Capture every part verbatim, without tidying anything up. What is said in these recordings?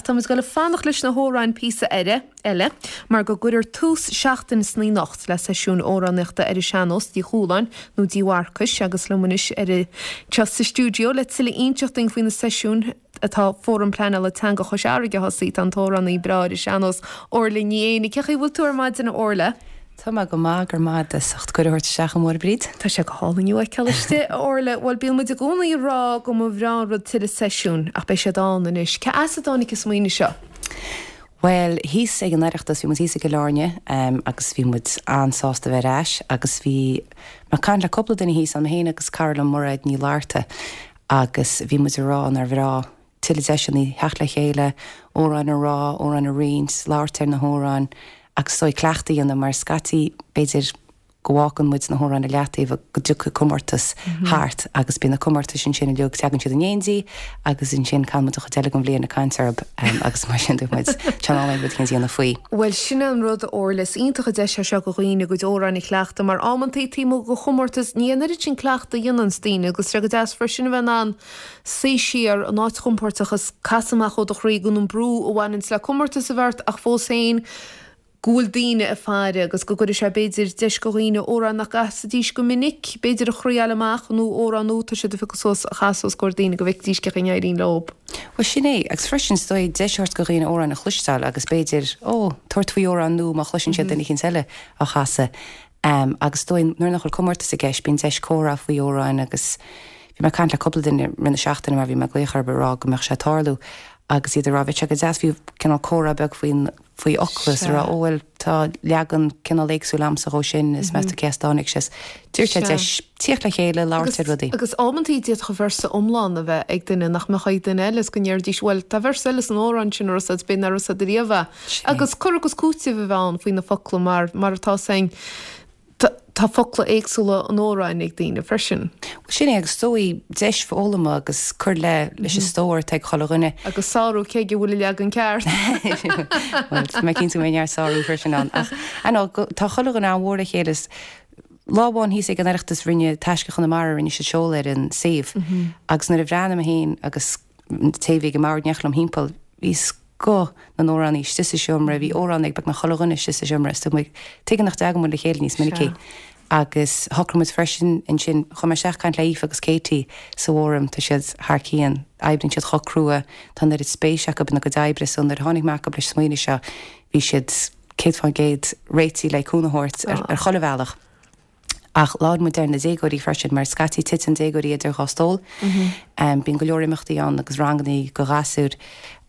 Ach táimid ag dul a fanacht leis na hamhráin píosa eile eile, mar go gcuirfear tús Seachtain Snaoi anocht le seisiún amhránaíochta ar an sean-nós Dí Chualáin nó Dí Mharcais agus liom anois anseo sa stiúideo le tuilleadh a inseacht dúinn faoi na seisiúin atá Fóram Pleanála Teanga Chois Fharraige a thosaí tá an t-amhránaí breá ar an sean-nós Orla Ní Éanaigh. Cén chaoi a bhfuil tú ar maidin Orla? Tá mé go maith go raibh maith agat as ucht cuireadh a thabhairt isteach a Mháire Bríd. Tá sé go hálainn thú a fheiceáil istigh a Orla, bhuel bíonn muid i gcónaí ag rá go mba bhreá an rud tuilleadh seisiún ach beidh siad ann anois. Cá as a dtáinig an smaoineamh seo? Well, thíos ag an Oireachtas bhí muid thíos i gCill Airne um, agus bhí muid an-sásta bheith ar ais agus bhí mé ag caint le cúpla duine thíos ann féin agus cara liom Mairéad Ní Fhlatharta agus bhí muid ag rá nár bhreá tuilleadh deiseanna theacht le chéile, amhráin a rá, amhráin a roinnt, labhairt ar na hamhráin agus so cleachtadh a dhéanamh mar scaití b'fhéidir go bhfágann muid na hamhráin i leataobh go dtiocfaidh comórtas thart agus bíonn na comórtais ansin uilig tagann siad in éindí agus ansin cailleann muid an chuid eile den bhliain ag caint orthu um, agus mar sin dúirt muid teanáil rud cén déanamh faoi. Well sin an rud Orla is iontach an deis é seo do dhaoine a gcuid amhrán a chleachtadh mar amantaí taobh amuigh de chomórtas ní an oiread sin cleachtadh a dhéanann daoine agus sé go deas freisin a bheith in ann suí siar in áit chompordach agus casadh amach ó do chroí gan an brú a bhaineann le comórtas a bheith ort ach fós féin go bhfuil daoine ag faire agus go gcuirfidh sé b'fhéidir deis do dhaoine amhrán nach gcasaidís go minic, b'fhéidir a thriáil amach nó amhrán nua tá siad ag phiocadh suas a chasadh os comhair daoine go bhfeicfidís cén chaoi a n-éiríonn leo. Well sin é agus freisin is dóigh deis a thabhairt do dhaoine amhráin a chloisteáil agus b'fhéidir ó tabhairt faoi amhrán nua má chloiseann siad duine éicint eile á chasadh. Um, agus dóigh nuair nach bhfuil comórtas i gceist bíonn deis comhrá faoi amhráin agus bhí mé ag caint le cúpla duine roimh na seachtaine mar bhí mé ag glaoch orthu ag rá go mbeadh sé ag tarlú agus iad ag rá bheadh sé go deas fiú cineál comhrá beag faoin faoi fhocla is rá ó bhuel tá leagan cineál éagsúil agamsa dhó sin is meas tú cé as a dtáinig sé. Dúirt sé deis tíocht le chéile labhairt ar rudaí. Agus amantaí d'fhéadfadh véarsa iomlán a bheith ag duine nach mbeadh ag duine eile is go ndéarfaidís well tá véarsa eile san amhrán sin ar úsáid b'fhéidir nár úsáid riamh é. Agus cur agus cúiteamh a bheith ann faoi na focla mar mar atá sin tá focla éagsúla an amhráin ag daoine freisin. Sin é agus dóigh deis foghlama agus cur le leis an stór ag chuile dhuine. Agus sárú cé aige a bhfuil an leagan ceart. Well, mé cinnte mé neart sárú freisin ann ach ano, tá chuile dhuine an-mhór le chéile lá amháin thíos ag an Oireachtas rinne Taisce Chonamara rinne siad seoladh ar an suíomh agus nuair a bhreathnaigh mé féin agus té bhí go mar neach liom thimpeall bhí scoth na n-amhránaí istigh sa seomra bhí amhrán ag beagnach chuile dhuine istigh sa seomra tuige nach dtagann muid le chéile níos minicí. Agus shocraigh muid freisin ansin chuaigh mé isteach ag caint le Aoife agus Katie sa bhfóram tá siad thar cionn oibríonn siad chomh crua tá an oiread spéis acu ina gcuid oibre so nuair a tháinig mé acu leis an smaoineamh seo bhí siad céad faoin gcéad réitithe le cúnamh a thabhairt ar, ar chuile bhealach. Ach labhair muid ar na déagóirí freisin mar scaití titeann déagóirí idir dhá stól. Um, bíonn go leor imeachtaí ann agus ranganna do ghasúir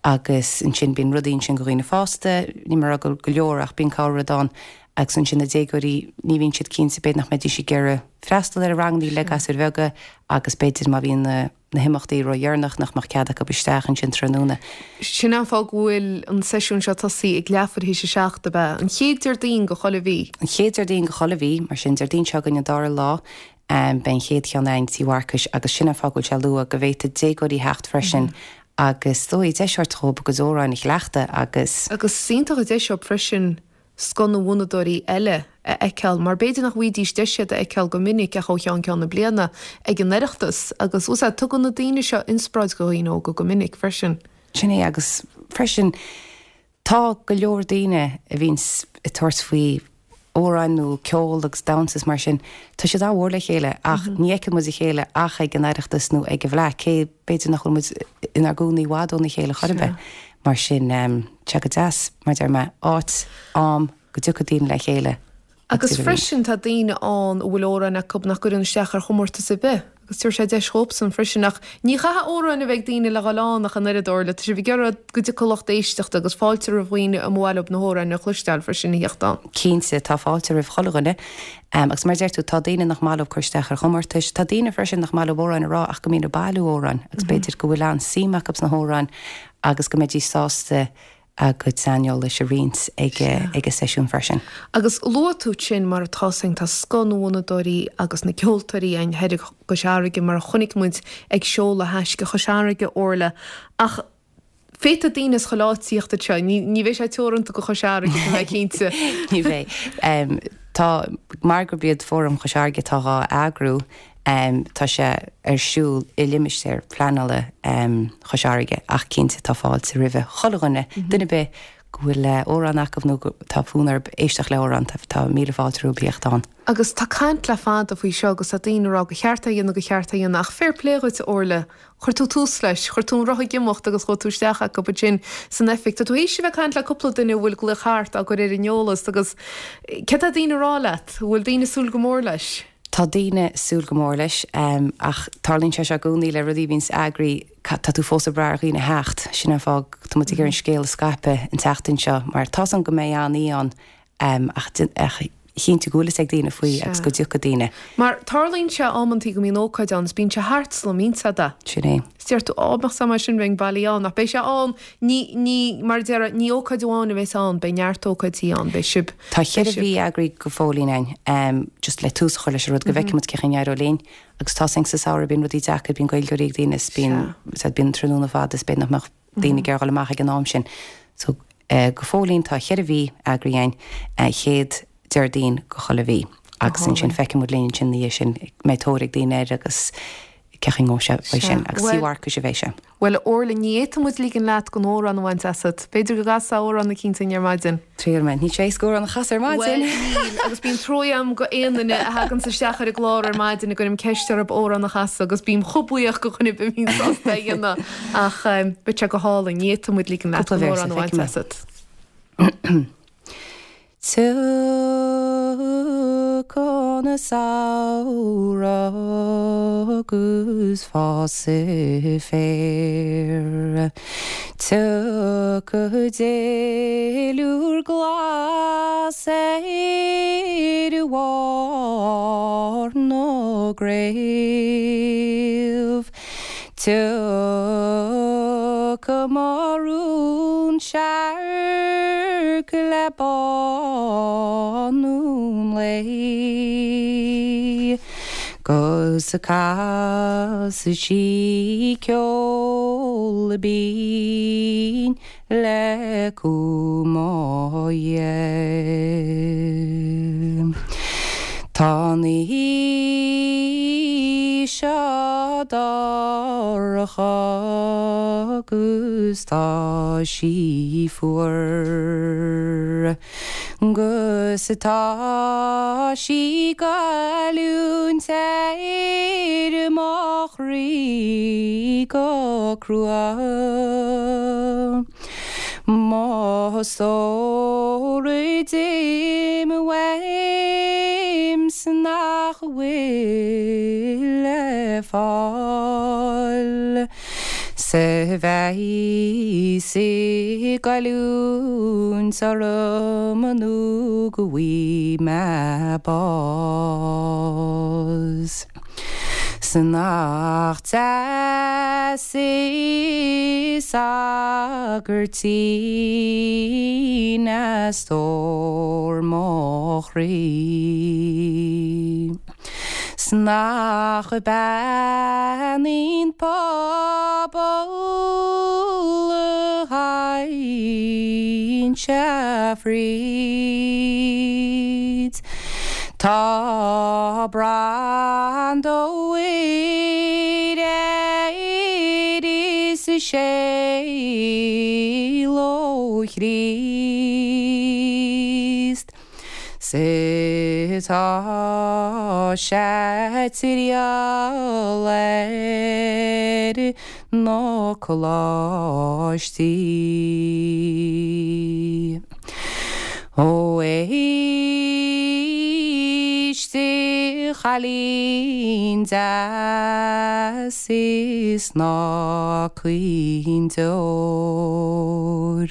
agus ansin bíonn rudaí ansin do dhaoine fásta, ní mar go go leor ach bíonn rud ann agus ansin na déagóirí ní bhíonn siad cinnte b'fhéidir nach mbeidís ag iarraidh freastal ar a ranganna le gasúir bheaga agus b'fhéidir má bhíonn na na himeachtaí ródheireanach nach mbeadh cead acu isteach ansin tráthnóna. Sin an fáth go bhfuil an seisiún seo tosaí ag leathuair théis a seacht ab ea. An chéad Déardaoin de chuile mhí. An chéad Déardaoin de chuile mhí, mar sin Déardaoin seo chugainn an dara lá, um, beidh an chéad cheann ann Tí Mharcais agus sin an fáth go bhfuil sé luath go bhféadfaidh déagóirí theacht freisin agus dóigh deis a thabhairt dóibh a gcuid amhráin a chleachtadh agus Agus is iontach an deis seo freisin scoth na bhfonnadóirí eile a fheiceáil, mar b'fhéidir nach bhfaighidís deis iad a fheiceáil go minic ach ó cheann ceann na bliana ag an Oireachtas agus úsáid tugann na daoine seo inspioráid do dhaoine óga go minic freisin. Sin é agus freisin tá go leor daoine a bhíonn ag tabhairt faoi amhráin nó ceol agus damhsa mar sin tá siad an-mhór le chéile ach ní fheiceann muid a chéile ach ag an Oireachtas nó ag an bhFleadh cé b'fhéidir nach bhfuil muid inár gcónaí i bhfad óna chéile chor ar bith. Mar sin um, sé go deas mar deir mé áit am go dtiocfaidh daoine le chéile. Agus freisin tá daoine ann a bhfuil amhráin acu nach gcuireann isteach ar chomórtas ar bith. Agus tabharfaidh sé deis dhóibhsan freisin ach ní chaithfidh amhráin a bheith ag daoine le dhul ann ach an oiread Orla, Tá sibh ag iarraidh go dtiocfaidh lucht éisteachta agus fáilte roimh dhaoine a mba mhaith leo na hamhráin a chloisteáil freisin a theacht ann. Cinnte tá fáilte roimh chuile dhuine. Um, agus mar deir tú tá daoine nach maith leo cur isteach ar chomórtais, tá daoine freisin nach maith leo amhráin a rá ach go mbíonn ag bailiú amhrán agus b'fhéidir go bhfuil an-suim acu sna hamhráin agus go mbeidís sásta a gcuid saineolais a roinnt ag ag an seisiún freisin. Agus luaigh tú sin mar atá sin tá scoth na bhfonnadóirí agus na ceoltóirí ann thoir i gCois Fharraige mar a chonaic muid ag seoladh Thaisce Chois Fharraige Orla ach féadfaidh daoine as chuile áit tíocht anseo, ní ní bheidh sé teoranta go Cois Fharraige tá mé cinnte. Ní bheidh. Um, tá mar gurb iad Fóram Chois Fharraige atá á eagrú Tá sé ar siúl i limistéar pleanála Chois Fharraige ach cinnte tá fáilte roimhe chuile dhuine, duine ar bith go bhfuil amhrán acu nó tá fonn orthu éisteacht le amhrán tá míle fáilte rompu theacht ann. Agus tá caint le fada faoi seo agus tá daoine ag rá gur cheart é a dhéanamh gur cheart é a dhéanamh ach fair play dhuit Orla, chuir tú tús leis, chuir tú an roth ag imeacht agus chuaigh tú isteach acu ansin san oifig. Tá tú théis a bheith ag caint le cúpla duine a bhfuil glaoch thart á gcur ar an eolas agus céard tá daoine ag rá leat? Bhfuil daoine ag súil go mór leis? Tá daoine ag súil go mór leis, ach tarlaíonn sé seo i gcónaí le rudaí a bhíonns eagraithe, tá tú fós ag brath ar dhaoine a theacht. Sin an fáth tá muid ag iarraidh an scéal a scaipeadh an tseachtain seo, mar tá's agam go mbeidh an-aoi ann ach chinntiú go bhfuil fhios ag daoine faoi agus go dtiocfaidh daoine. Mar tarlaíonn sé amantaí go mbíonn ócáid ann is bíonn sé thart sula mbíonn sé de. Sin é. Is deir tú, á, mbeadh sé mar sin bheinn bailí ann, ach beidh sé ann, ní, ní, mar a déarfá, ní ócáid amháin a bheas ann, beidh neart ócáidí ann, beidh sibh, Tá cheithre mhí eagraithe go fóillín againn, just le tús a chur leis an rud, go bhfeicfidh muid cén chaoi a n-éireoidh linn. Agus tá's againn sa samhradh bíonn rudaí deacair, bíonn Gaeilgeoirí ag daoine is bíonn, bíonn tráthnóna fada is b'fhéidir nach mbeadh daoine ag iarraidh dul amach ag an am sin. So, go fóillín tá cheithre mhí eagraithe againn, chéad Déardaoin go chuile mhí. Agus ansin feicfidh muid linn ansin ina dhiaidh sin, mbeidh tóir ag daoine air agus cén chaoi a ngabhfaidh sé sin agus i bhFarcais a bheidh sé. Bhuel, a Orla, ní fhéadfaidh muid ligean leat gan amhrán a bhaint asat. B'fhéidir go gcasfá amhrán eicínt dúinn ar maidin. Triail mé. Níl sé éasca amhrán a chasadh ar maidin. Bhuel, níl, agus bíonn truaí agam go aon duine a thaganns isteach ar an gclár ar maidin a gcuirim ceist orthu amhrán a chasadh agus bím chomh buíoch go dhuine ar bith a bhíonn sásta é a dhéanamh. Ach beidh sé go hálainn. Ní fhéadfaidh muid ligean leat gan amhrán a bhaint asat. Tiocfaidh an samhradh agus fásfaidh féar, Tiocfaidh duilliúr glas ar bharr na gcraobh. Tiocfaidh mo rún searc le bánú an lae, 'Gus casfaidh sí ceol binn le cumha Dé. Tá an oíche seo dorcha 'gus tá sí fuar, 'Gus tá sí ag goilliúint ar mo chroí go crua. Mo stór a d'imigh uaim 's nach bhfuil le fáil 's a bheas ag goilliúint orm nó go bhfaighidh mé bás. 'S nach deas an sagairtín a stór mo chroí. 'S nach bean í an pobal a théann sé fríd. Tá branda óir air is séal ó Chríost 's tá sé ag triall ar na coláistí. Ó éist a chailín deas is ná caoin deoir.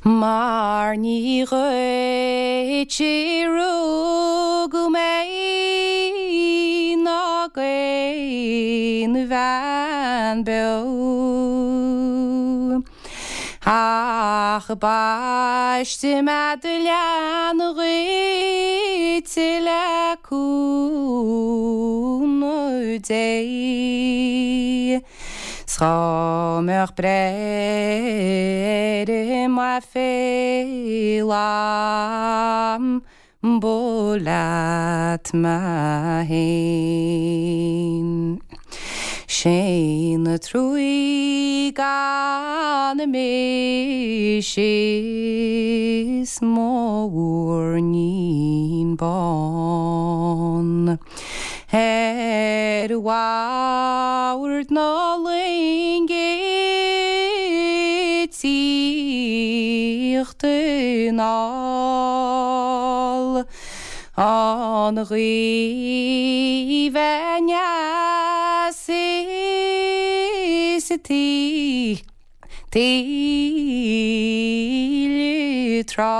Mar ní dhuit a rugadh mé ná d'aon bhean beo. Ach baisteadh mé do leanbh dhuit le cúnamh Dé. 'S dhá mbeadh breith ar m'aiféala Ba leat mé féin. Sé na truaí gan mise is mo mhúirnín bán. Ar bhord na loinge tíocht anall An ghaoth aneas is an taoille trá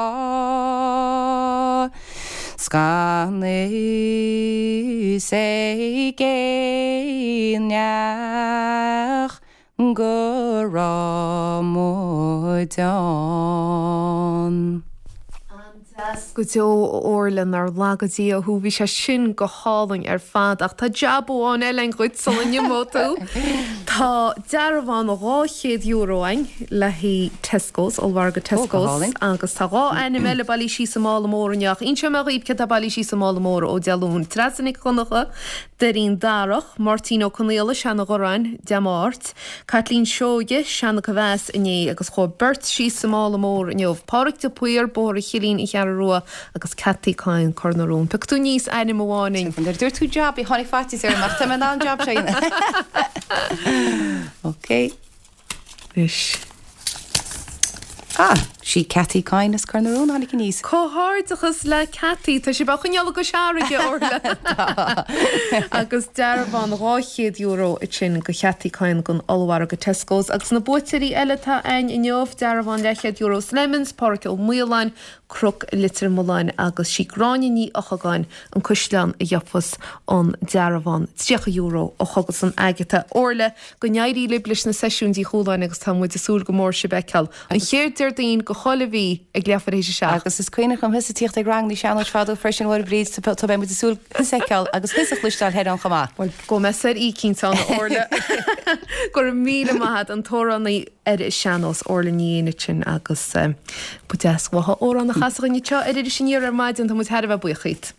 's gan fhios ag aon neach go raibh muid ann. An-deas go deo a Orla nár laga Dia thú bhí sé sin go hálainn ar fad ach tá jab amháin eile againn dhuit sula n-imeoidh tú. Tá dearbhán dhá chéad euro againn le haghaidh Tesco's, ollmhargadh Tesco's agus tá dhá ainm eile bailithe síos sa mála mór inniu ach inseoidh mé dhaoibh cé tá bailithe síos sa mála mór ó Dé Luain. Treasa Nic Dhonncha, Doirín Darach, Máirtín Ó Conaola, Seanadh Ghoráin, Dé Máirt, Caitlín Seoige, Seanadh Cabhas inné agus chuaigh beirt síos sa mála mór inniu, Pádraig de Paor, Bóthar an Chillín, An Cheathrú Rua agus Cathy Coyne, Cor na Rón. Pioc tú aníos ainm amháin againn. Nuair a dúirt tú jab, tháinig faitíos orm ach tá mé in ann jab seo a dhéanamh. Ok. Anois. Ah, sí Cathy Coyne as Cor na Rón a tháinig aníos. Comhghairdeachas le Cathy, tá sibh á choinneáil i gCois Fharraige, Orla. Agus dearbhán dhá chéad euro ansin go Cathy Coyne gon ollmhargadh Tesco's. Agus na buaiteoirí eile atá againn inniu, dearbhán leathchéad euro Slemons, Pádraic Ó Maoláin, Cnoc Leitir Mealláin agus sí Gráinne Ní Eochagáin an Caisleán a gheofas an dearbhán tríocha euro ó chugasan Agatha. Orla, go n-éirí libh leis na seisiúin Dí Chualáin agus tá muid ag súil go mór sibh a fheiceáil an chéad Déardaoin go chuile mhí ag leathuair théis a seacht. Agus is cuimhin liom thusa tíocht ag ranganna sean-nóis fadó freisin a Mháire Bríd, tá beidh muid ag súil thusa a fheiceáil agus thusa a chloisteáil thoir ann chomh maith. Bhuel, go mbeidh soir éicint ann, a Orla. Go raibh míle maith agat, an t-amhránaí ar an sean-nós Orla Ní Fhéinne sin agus ba deas uathu amhrán a chasadh againn anseo ar Iris Aniar ar maidin, tá muid thar a bheith buíoch díot.